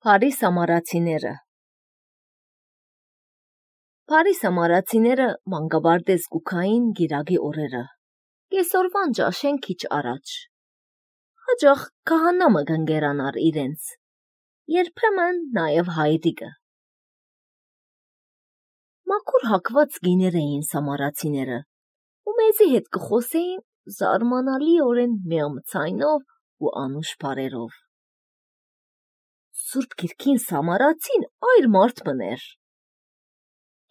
Փարիս ամառացիները Փարիս ամառացիները մանկաբարձ գուքային գիրագի օրերը, կեսօրվան ճաշեն քիչ առաջ, հաճախ քահանամը գնգերանար իրենց, երբեմն նաև հայրիկը։ Մաքուր հագված գիներ էին սամարացիները, ու մեզի հետ կխոսեին զարմանալիորեն մեղմ ցայնով ու անուշ բառերով։ Սուրբ Գիրքին սամարացին այր մարդ մներ։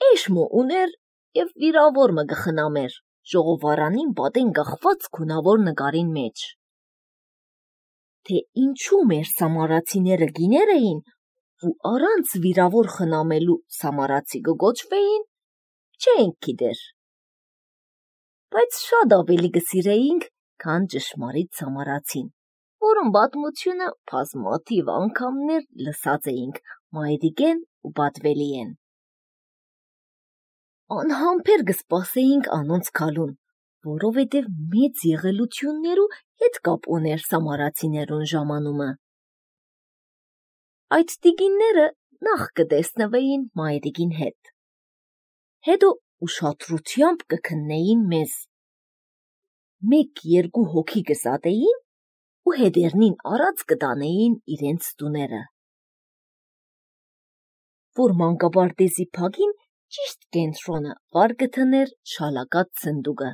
Էշմո ուներ և վիրավոր մը գխնամեր, ժողովարանին պատեն գախված քունավոր նկարին մեջ։ Թե ինչու մեր սամարացիները գիներ էին ու առանց վիրավոր խնամելու սամարացի գոչվեին, չենք գիտեր։ Բայց շատ ավելի գսիրեինք, քան ճշմարիտ սամարացին, որում պատմությունը բազմաթիվ անգամներ լսած էինք մայրիկեն ու պատվելիեն։ Անհամբեր կսպասեինք անոնց գալուն, որովհետև մեծ եղելություններու հետ կապ ուներ սամարացիներուն ժամանումը։ Այդ տիկինները նախ կտեսնվեին մայրիկին հետ, հետո ուշադրությամբ կքննեին մեզ, 1-2 հոգի կզատեին ու հետերնին առած կտանեին իրենց տուները, որ մանկաբարձի փագին ճիշտ կենտրոնը վար կթներ շալակած սնդուկը։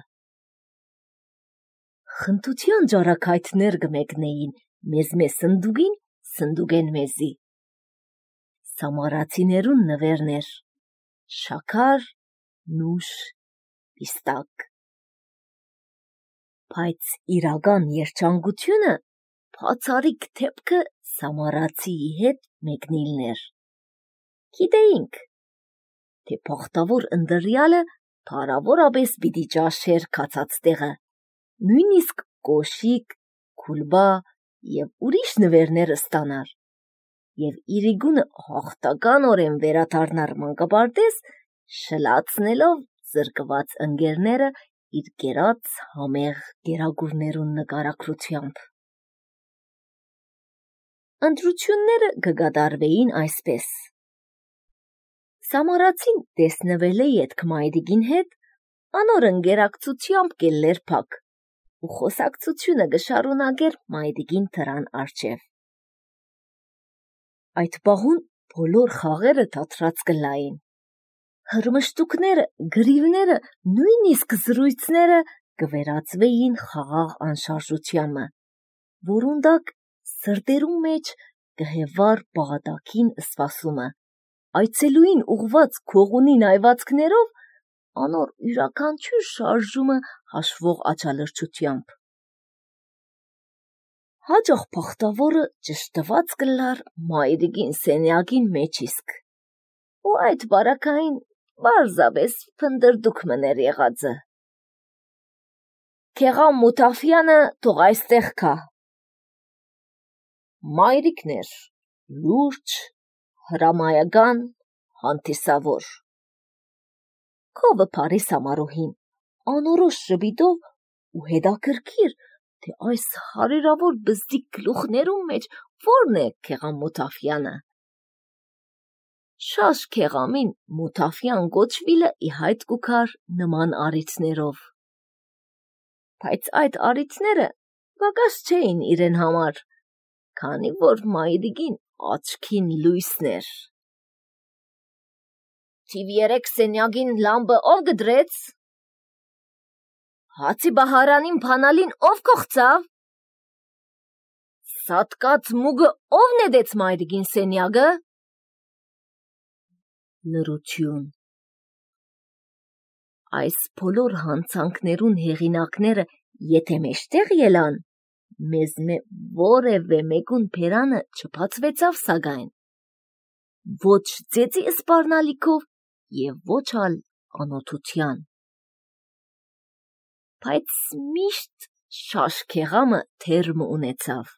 Խնդության ջարակայթներ կմեկնեին մեզ սնդուկին, սնդուկեն մեզի։ Սամարացիներուն նվերներ, շաքար, նուշ, պիստակ։ Բայց իրական երջանկությունը բացառիկ դեպքը սամարացիի հետ մեկնիլներ։ Գիտեինք, թե բախտավոր ընտրյալը փառավորապես պիտի ճաշեր կացած տեղը, նույնիսկ կոշիկ, քուլբա և ուրիշ նվերներ ստանար, և իրիգունը հաղթականորեն վերադառնար մանկաբարձ, շլացնելով զրկված ընկերները իր կերած համեղ գերագուրներուն նկարագրությամբ։ Ընտրությունները կկատարվեին այսպես. Սամարացին տեսնվել է ետք մայրիկին հետ, անոր ընկերակցությամբ կելներ փակ, ու խոսակցությունը կշարունակեր մայրիկին դրան առջև։ Այդ պահուն բոլոր խաղերը դադրած կլային։ Հրմշտուկները, գրիվները, նույնիսկ զրույցները կվերածվեին խաղաղ անշարժությամը, որուն տակ սրտերու մեջ կհևար պաղատակին սպասումը, այցելուին ուղված քողունի նայվածքներով, անոր յուրաքանչյուր շարժումը հաշվող աչալրջությամբ։ Հաճախ բախտավորը ճշտված կլար մայրիկին սենյակին մեջ իսկ, ու այդ բարակային պարզապես փնդրդուք մներ եղածը։ Քեղամ Մութաֆյանը թող այստեղ գա։ Մայրիկն էր, լուրջ, հրամայական, հանդիսավոր։ Քովը Փարիս ամառուհին, անորոշ ժպիտով ու հետաքրքիր, թե այս հարյուրավոր բզդիկ գլուխներուն մեջ որն է քեղամ Մութաֆյանը։ Շաշ քեղամին Մութաֆյան կոչվիլը ի հայտ կուքար նման առիթներով։ Բայց այդ առիթները պակաս չէին իրեն համար, քանի որ մայրիկին աչքին լույսն էր։ Թիվ 3 սենյակին լամպը ով գդրեց։ Հացի բահարանին փանալին ով կողծավ։ Սատկած մուգը ով նետեց մայրիկին սենյակը։ Լռություն։ Այս բոլոր հանցանքներուն հեղինակները եթե մեջտեղ ելան, մեզ որևէ մեկուն բերանը չբացվեցավ սակայն, ոչ ծեծի սպառնալիքով և ոչ ալ անօթության։ Բայց միշտ շաշ քեղամը թերմ ունեցավ,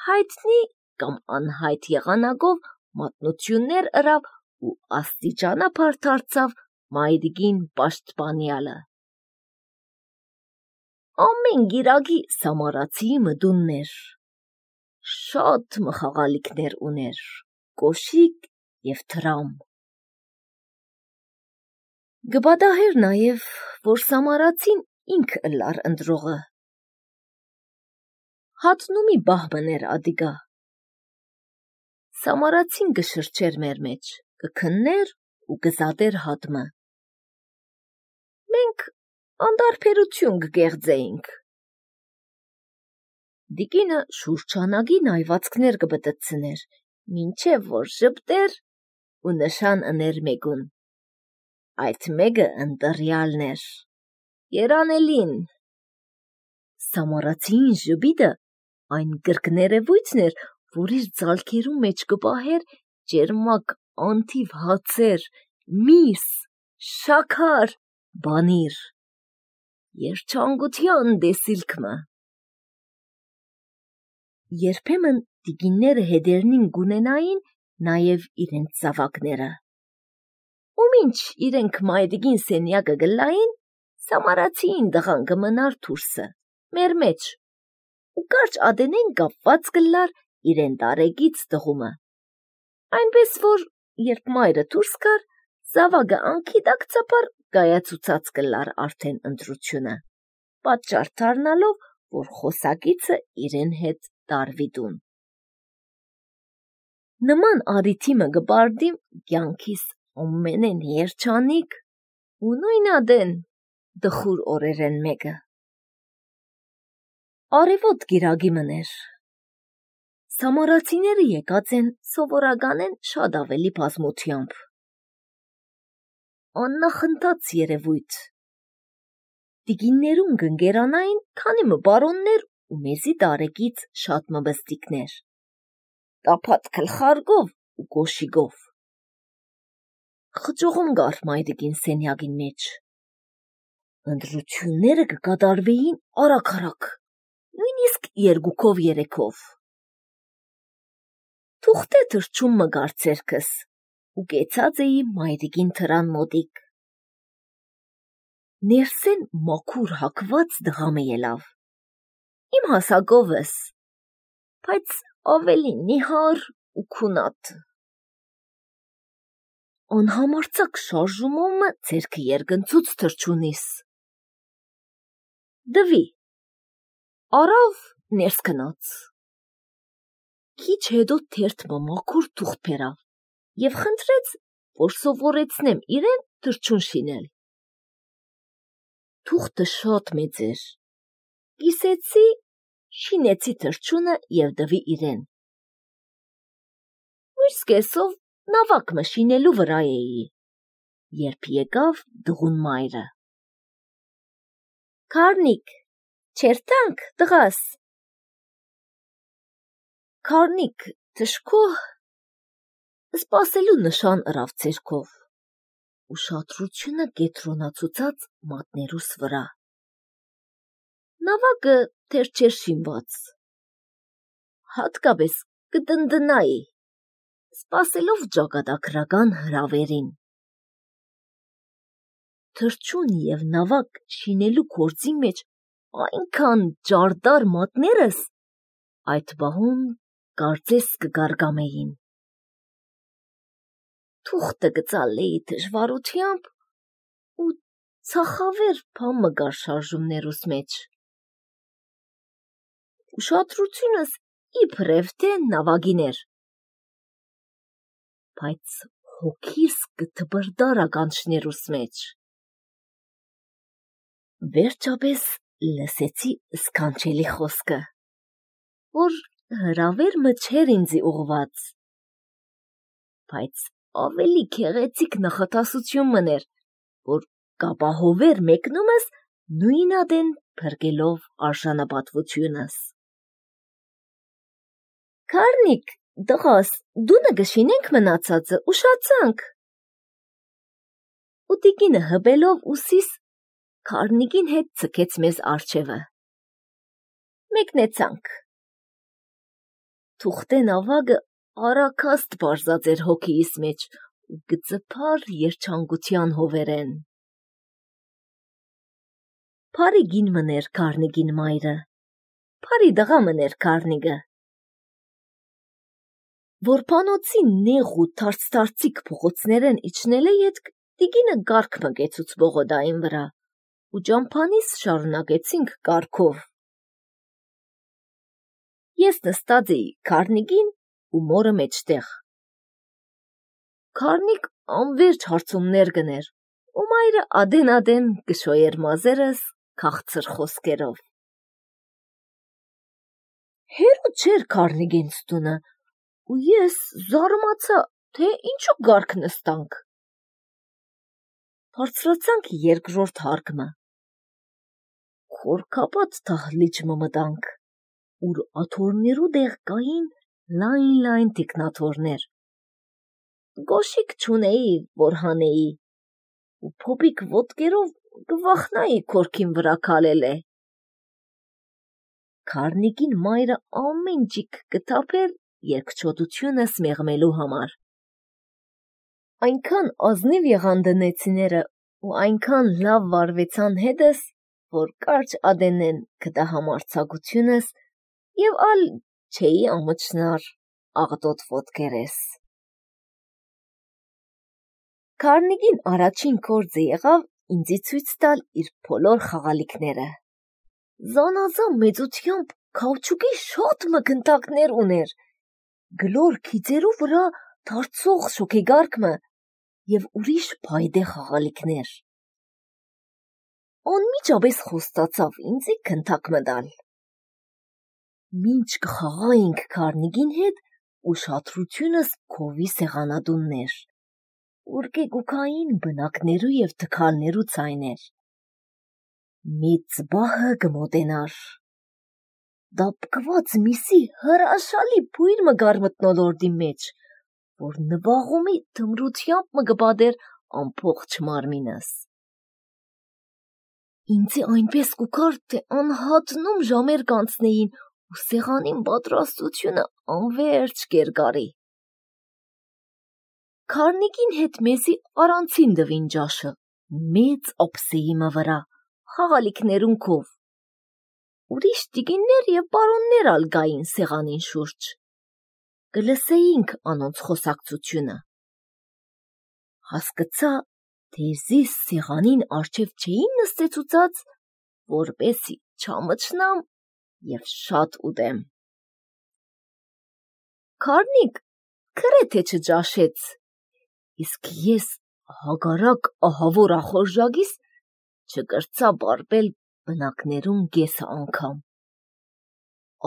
հայտնի կամ անհայտ եղանակով մատնություններ ըրավ ու աստիճանաբար դարձավ մայրիկին պաշտպանյալը։ Ամեն գիրագի սամարացիի մտունն էր, շատ մխաղալիքներ ուներ, կոշիկ և թրամ։ Գբադահեր նաև, որ Սամարացին ինք ըլլար ընտրողը։ Հատնումի բահմներ ադիգա։ Սամարացին գշրջեր մեր մեջ, գքններ ու գզատեր հատմը։ Մենք անդարբերություն գգեղձեինք։ Դիկինը շուրջանագի նայվածքներ գբտծներ, մինչև որ ժպտեր ու նշան ըներ մեկուն։ Այդ մեկը ընտրյալներ, երանելին։ Սամարացին ժպիտը այն գրկներևույթներ, որ իր ձալքերու մեջ կպահեր ճերմակ անթիվ հացեր, միս, շաքար, բանիր, երջանկության դեսիլքմը։ Երբեմն տիկինները հետերնին գունենային նաև իրենց զավակները։ Ու մինչ իրենք մայրիկին սենյակը գլային, Սամարացին դղան կմնար դուրսը, մեր մեջ, ու կարճ ադենեն կապված կլար իրեն տարեգից տղումը։ Այնպես որ, երբ մայրը դուրս կար, զավակը անքիդակցապար գայացուցած կլար արդեն ընտրությունը, պատճառ դառնալով, որ խոսակիցը իրեն հետ տարվի տուն։ Նման արիթիմը գբարդիմ կյանքիս ամենեն երջանիկ ու նույնադեն դխուր օրերեն մեկը։ Արևոտ գիրագի մներ։ Սամարացիները եկած են սովորականեն շատ ավելի բազմությամբ։ Աննախընթաց երևույթ։ Տիկիններուն գընկերանային քանի մը բարոններ ու մեզի տարեկից շատ մբստիկներ։ Տափատ քլխարգով ու գոշիգով։ Խճողում գար մայրիկին սենյակին մեջ։ Ընտրությունները կկատարվեին արագ, նույնիսկ 2-3-ով։ Թուղթե թրջում մը գար ցերքս ու կեցած էի մայրիկին թրան մոտիկ։ Ներսեն մաքուր հակված դղամը ելավ։ Իմ հասակովս, բայց ավելի նիհար ու քունատ։ Անհամարցակ շարժումով մը ցերքը երգնցուց թրջունիս։ Դվի, արավ ներս կնաց։ Քիչ հետո թերթ մաքուր թուղթ բերավ և խնդրեց, որ սովորեցնեմ իրեն թրջուն շինել։ Թուղթը շատ մեծ էր։ Կիսեցի, շինեցի թրջունը և դվի իրեն։ Մյուս կեսով նավակ մը շինելու վրա էի, երբ եկավ դղուն մայրը։ Քարնիկ, չերտանք տղաս։ Քարնիկ թշկոհ սպասելու նշան ըրավ ցերքով, ուշադրությունը կետրոնացուցած մատներուս վրա։ Նավակը թեր չէր շինված։ Հատկապես կտնտնայի, սպասելով ճակատագրական հրավերին։ Թրջուն և նավակ շինելու գործի մեջ այնքան ջարդար մատներս այդ բահուն կարծես կգարգամեին։ Թուղթը գծալեի դժվարությամբ ու ցախավեր բան մը գար շարժումներուս մեջ։ Ուշադրությունս իբրև թե նավագին էր, բայց հոգիս կթբրդար ականջներուս մեջ։ Վերջապես լսեցի սքանչելի խոսքը, որ հրավեր մը չէր ինձի ուղված, բայց ավելի քեղեցիկ նախատասություն մներ, որ կապահովեր մեկնումս նույնադեն փրկելով արժանապատվությունս։ Քարնիկ, տղաս, դունը գշինենք մնացածը, ուշացանք։ Ու տիկինը հպելով ուսիս քարնիկին հետ ցկեց մեզ արջևը։ Մեկնեցանք։ Թուղթե նավակը արագաստ բարձած էր հոգիս մեջ ու գծփար երջանկության հովերեն։ Փարի գին մներ քարնիկին մայրը, փարի դղա մներ քարնիկը։ Որփանոցի նեղ ու թարցիկ փողոցներեն իջնելը ետք տիկինը գարկ մգեցուց բողոդային վրա ու ճամփանիս շարունակեցինք կարգով։ Ես նստած էի քարնիկին ու մորը մեջտեղ։ Քարնիկ անվերջ հարցումներ գներ ու մայրը ադեն կշոյեր մազերս քաղցր խոսքերով։ Հերու չէր քարնիգենց տունը ու ես զարմացա, թե ինչու գարկ նստանք։ Բարձրացանք երկրորդ հարկմը։ Խորքապատ դահլիճ մտանք, ուր աթոռներու դեղ կային լայն տիկնաթոռներ։ Գոշիկ չունեի, որ հանեի, ու փոփիկ ոտքերով կվախնայի քորքին վրա քալել է։ Քարնիկին մայրը ամեն ջիկ կթափեր երկչոտությունս մեղմելու համար։ Այնքան ազնիվ եղան դնեցիները ու այնքան լավ վարվեցան հետս, որ կարճ ադենեն կտահամարցակությունս եւ ալ չէի ամճնար աղտոտ ոտքերես։ Քարնիկին առաջին կորձը եղավ ինձի ցույց տալ իր բոլոր խաղալիքները։ Զանազան մեծությամբ քաուչուկի շատ մկնտակներ ուներ, գլոր քիծերու վրա դարձող շոքեգարկմը եւ ուրիշ փայդե խաղալիքներ։ Անմիջապես խոստացավ ինձի քնթակ մտալ։ Մինչ կխաղայինք քարնիկին հետ ուշադրությունս քովի սեղանատուններ, ուր կեգուկային բնակներու եւ թքալներու ցայներ։ Մեծ բահը կմոտենար։ Դապկված միսի հրաշալի բույր մգար մտնոլորդի մեջ, որ նվաղումի թմրությամբ մգբադեր ամբողջ մարմինս։ Ինձի այնպես կուքար, թե անհատնում ժամեր կանցնեին ու սեղանին պատրաստությունը անվերջ կերգարի։ Քարնիկին հետ մեզի առանցին դվին ջաշը, մեծ ափսեի վրա, խաղալիքներուն քով։ Ուրիշ տիկիններ եւ պարոններ ալ գային սեղանին շուրջ։ Կլսեինք անոնց խոսակցությունը։ Հասկացա, թե զիս սեղանին արջև չէին նստեցուցած, որպեսի չամճնամ եւ շատ ուտեմ։ Քարնիկ գրեթե չջաշեց, իսկ ես հագարակ ահավոր ախորժագիս չկրծա բարբել բնակներուն գեսը անգամ։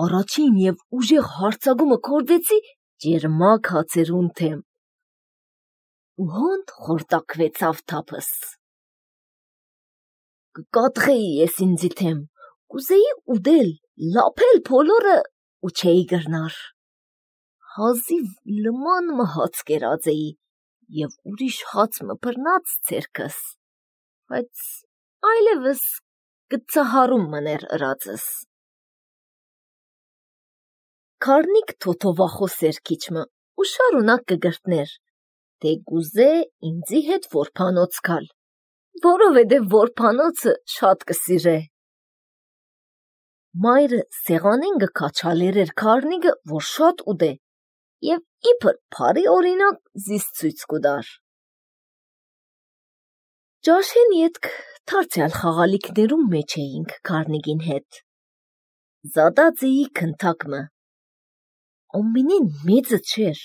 Առաջին եւ ուժեղ հարցագումը կորդեցի ջերմակ հացերուն թեմ։ Ու հոնդ խորտակվեցավ թափս։ Կկատղեի ես ինձի թեմ, կուզեի ուդել, լապել բոլորը ու չէի գրնար։ Հազիվ լման մհաց կերածեի եւ ուրիշ հաց մբրնաց ցերքս, բայց այլևս կծահարում մներ ըրածս։ Քարնիկ թոթովախոս էր քիչմը ու շարունակ կգրտներ, թե գուզե ինձի հետ որփանոց գալ, որովհետև որփանոցը շատ կսիրե։ Մայրը սեղանին կքաչալեր էր քարնիկը, որ շատ ուդե, եւ իբր փարի օրինակ զիս ցույց կուդար։ Ջաշեն ետք թարցյալ խաղալիքներում մեջ էինք քարնիկին հետ։ Զադած էի քնթակմը։ Ամենեն մեծը չէր,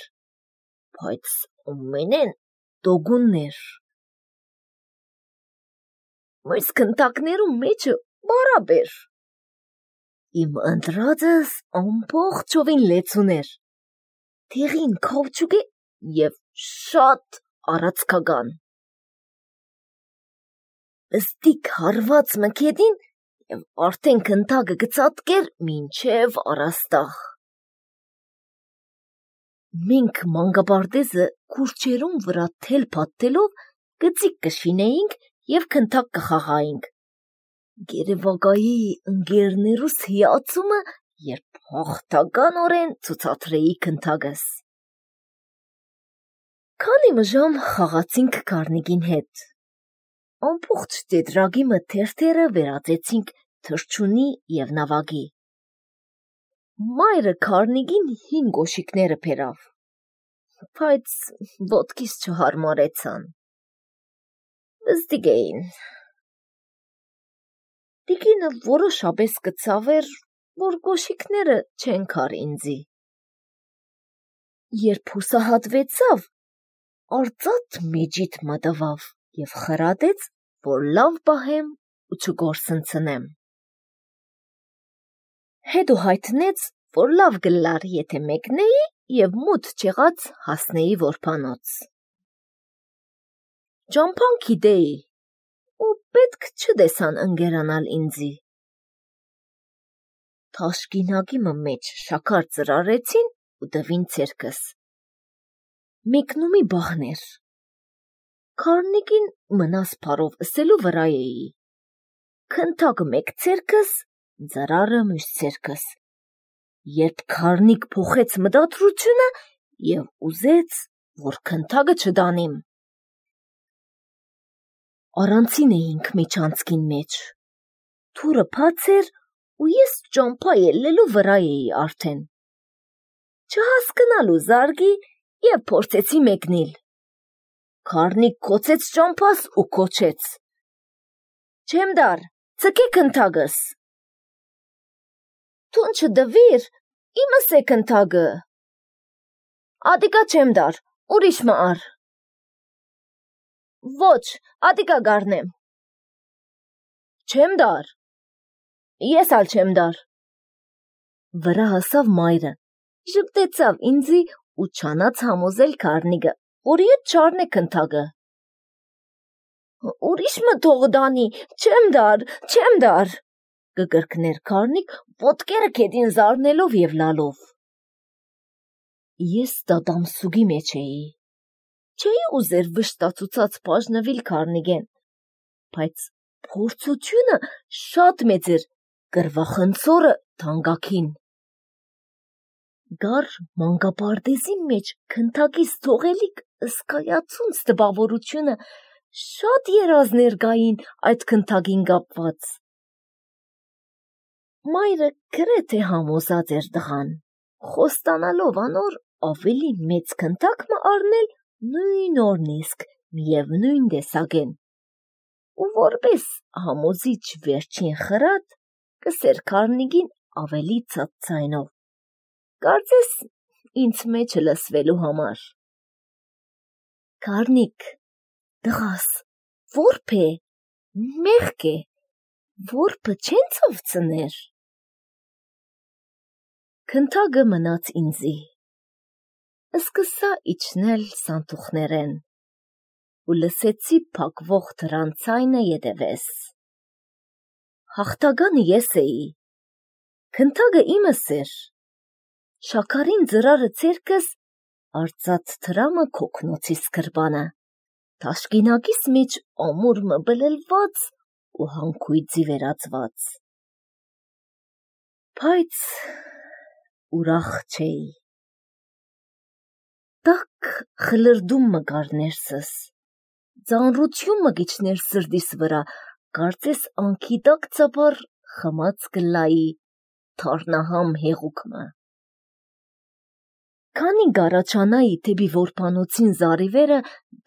բայց ամենեն դոգուններ։ Մույս քնթակներում մեջը բարաբեր։ Իմ ընտրածս ամբողջովին լեցուներ, թեղին քաուչուկե եւ շատ առածքական։ Ըստիկ հարված մքեդին եւ արդեն քնթակը գծատկեր մինչեւ առաստաղ։ Մենք մանգաբարտեզը քուրչերուն վրա թել փաթթելով գծիկ կշինեինք եւ քնթակ կխաղայինք։ Գերեվագայի ընկերներուս հիացումը, երբ հաղթականորեն ցուցադրեի քնթակս։ Քանի մժամ խաղացինք քարնիկին հետ։ Ամբողջ տետրագիմը թերթերը վերածեցինք թրջունի եւ նավագի։ Մայրը քարնիկին հին գոշիկները բերավ, բայց ոտքիս չհարմարեցան։ Վստիկ էին։ Տիկինը որոշապես կծավեր, որ կոշիկները չեն քար ինձի։ Երբ հուսահատվեցավ, արծաթ մեջիդ մտվավ և խրատեց, որ լավ պահեմ ու չգործընծնեմ։ Հետո հայտնեց, որ լավ գլար, եթե մեկնեի և մութ չեղած հասնեի որբանոց։ Ճամփան գիտեի ու պետք չդեսան ընկերանալ ինձի։ Թաշկինակիմը մեջ շաքար ծրարեցին ու տվին ցերկս։ Մեկնումի բաղներ։ Քարնիկին մնաս փարով ըսելու վրա էի։ Քնթակը մեկ ցերկս, ծրարը մյուս ցերկս։ Երբ քարնիկ փոխեց մտադրությունը և ուզեց, որ քնթակը չդանեմ։ Առանցին էինք միջանցքին մեջ։ Թուրը բաց էր ու ես ճամփա ելնելու վրա էի արդեն։ Չհասկնալու զարգի և փորձեցի մեկնել։ Քարնիկ կոծեց ճամփաս ու կոչեց. «Չեմ դար, ցկե քնթակս»։ Թուն չդվիր, իմս է քնթակը։ Ադիկա չեմ դար, ուրիշ մը ար։ Ոչ, ադիկա գարնեմ։ Չեմ դար։ Ես ալ չեմ դար։ Վրա հասավ մայրը, ժպտեցավ ինձի ու չանաց համոզել քարնիկը, որ իդ չառնե քնթակը։ Ուրիշ մը թող դանի, չեմ դար, կկրկներ քարնիկ, ոտքերը քեդին զարնելով և լալով։ Ես դադամսուգի մեջ էի։ Չէի ուզեր վշտացուցած բաժնվել քարնիկեն, բայց փորձությունը շատ մեծ էր, կռվախնձորը թանկագին։ Գար մանկապարտեզի մեջ քնթակից թողելիք ըսկայացունց տպավորությունը շատ երազներ կային այդ քնթակին կապված։ Մայրը գրեթե համոզած էր տղան, խոստանալով անոր ավելի մեծ քնթակ մը առնել նույն օրն իսկ միևնույն տեսակեն, ու որպես համոզիչ վերջին խրատ կսեր քարնիկին ավելի ցած ձայնով, կարծես ինձ մեջը լսվելու համար։ Քարնիկ, տղաս, որբ է, մեղք է, որբը չեն ծովցներ։ Քնթակը մնաց ինձի։ Սկսա իջնել սանթուխներեն ու լսեցի փակվող դռան ձայնը ետևես։ Հաղթականը ես էի։ Քնթակը իմս էր։ Շաքարին ծրարը ցերկս, արծաթ թրամը քոքնոցիս գրպանը, թաշկինակիս մեջ ամուր մը բլելված ու հանքույծի վերածված։ Բայց ուրախ չէի։ Տակ խլրդում մը կար ներսս, ծանրություն մը գիչներ սրտիս վրա, կարծես անքիտակ ծապար խմած կլայի թարնահամ հեղուկ մը։ Քանի գարաչանայի թեպի որբանոցին զարիվերը,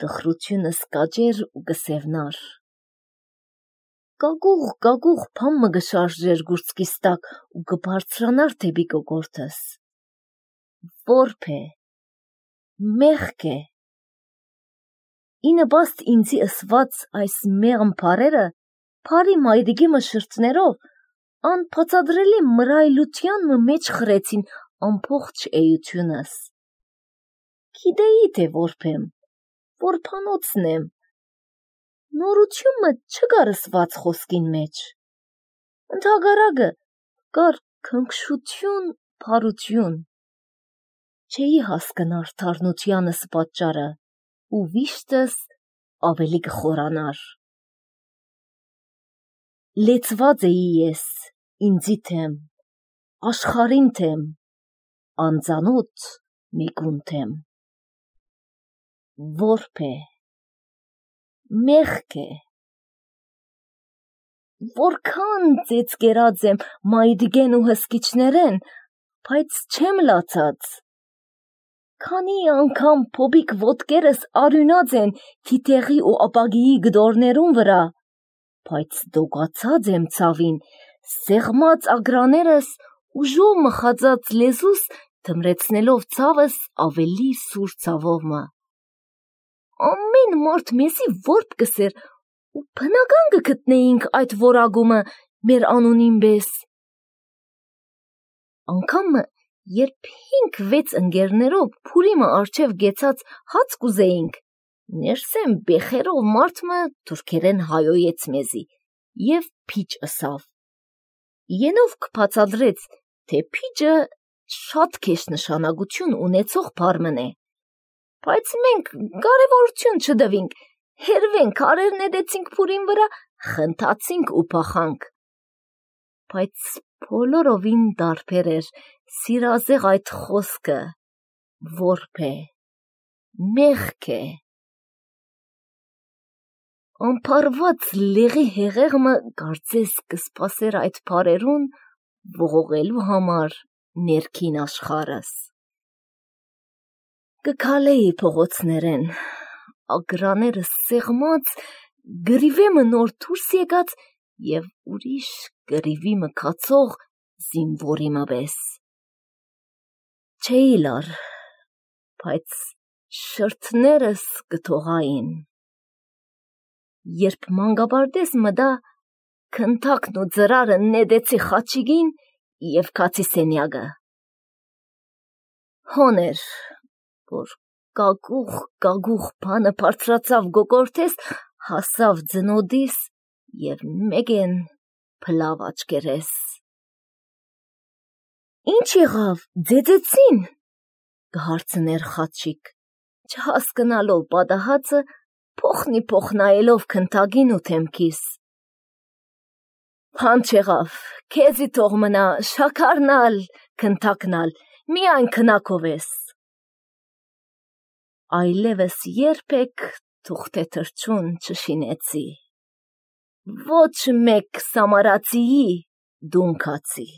տխրությունս կաճեր ու կսևնար։ Կագուղ փամ մը գշարժեր գուրծքիս տակ ու կբարձրանար թեպի կոկորդս։ Որբ է, մեղք է։ Ինպաստ ինձի ըսված այս մեղմ փարերը, փարի մայրիկի մը շրթներով, անբացատրելի մռայլության մը մեջ խրեցին ամբողջ էությունս։ Գիտեի, թե որբ եմ, որբանոցն եմ, նորություն մը չկար ըսված խոսքին մեջ։ Ընդհակառակը կար քնքշություն, փարություն։ Չէի հասկնար թարնությանս պատճառը ու վիշտս ավելի կխորանար։ Լեցված էի ես ինձի թեմ, աշխարհին թեմ, անծանոթ մեկուն թեմ։ Որբ է, մեղք է։ Որքան ծեծկերած եմ մայրիկեն ու հսկիչներեն, բայց չեմ լացած։ Քանի անգամ փոբիկ ոտքերս արյունած են թիթեղի ու ապագիի գդորներուն վրա, բայց դոգացած եմ ցավին, սեղմած ագրաներս ուժով մխածած լեզուս թմրեցնելով ցավս ավելի սուր ցավովը։ Ամեն մարդ մեզի որբ կսեր ու բնական կգտնեինք այդ որագումը մեր անունին պես։ Անգամը երբ 5-6 ընկերներով Փուրիմը արջև գեցած հաց կուզեինք, ներսեմ բեխերով մարդմը թուրքերեն հայոյեց մեզի և փիչ ըսավ։ Ենով կբացատրեց, թե փիչը շատ քեշ նշանակություն ունեցող բառ է, բայց մենք կարևորություն չդվինք, հերվեն քարեր նետեցինք Փուրին վրա, խնդացինք ու փախանք։ Բայց բոլորովին տարբեր էր սիրազեղ այդ խոսքը, որբ է, մեղք է։ Անփարված լեղի հեղեղը կարծես կսպասեր այդ բառերուն ողողելու համար ներքին աշխարհս։ Կքալեի փողոցներեն, ագրաները սեղմած, գրիվեմը նոր դուրս եկած և ուրիշ գրիվի մքացող զինվորիմը պես։ Չէի լար, բայց շրթներս կթողային։ Երբ մանգաբարդես մտա, քնթակն ու ծրարը նետեցի խաչիկին և քացի սենյակը։ Հոն էր, որ կագուղ բանը բարձրացավ գոգորտես, հասավ ձնոդիս և մեկեն փլավ աչկերես։ Ինչ եղավ, ձեծեցին, կհարցներ խաչիկ, չհասկնալով պատահածը, փոխնիփոխ նայելով քնթակին ու թեմքիս։ Բան չեղավ, քեզի թող մնա, շաքարնալ, քնթակնալ, միայն քնակով ես։ Այլևս երբեք թուղթե թռչուն չշինեցի։ Ոչ մեկ սամարացիի դուն քացի։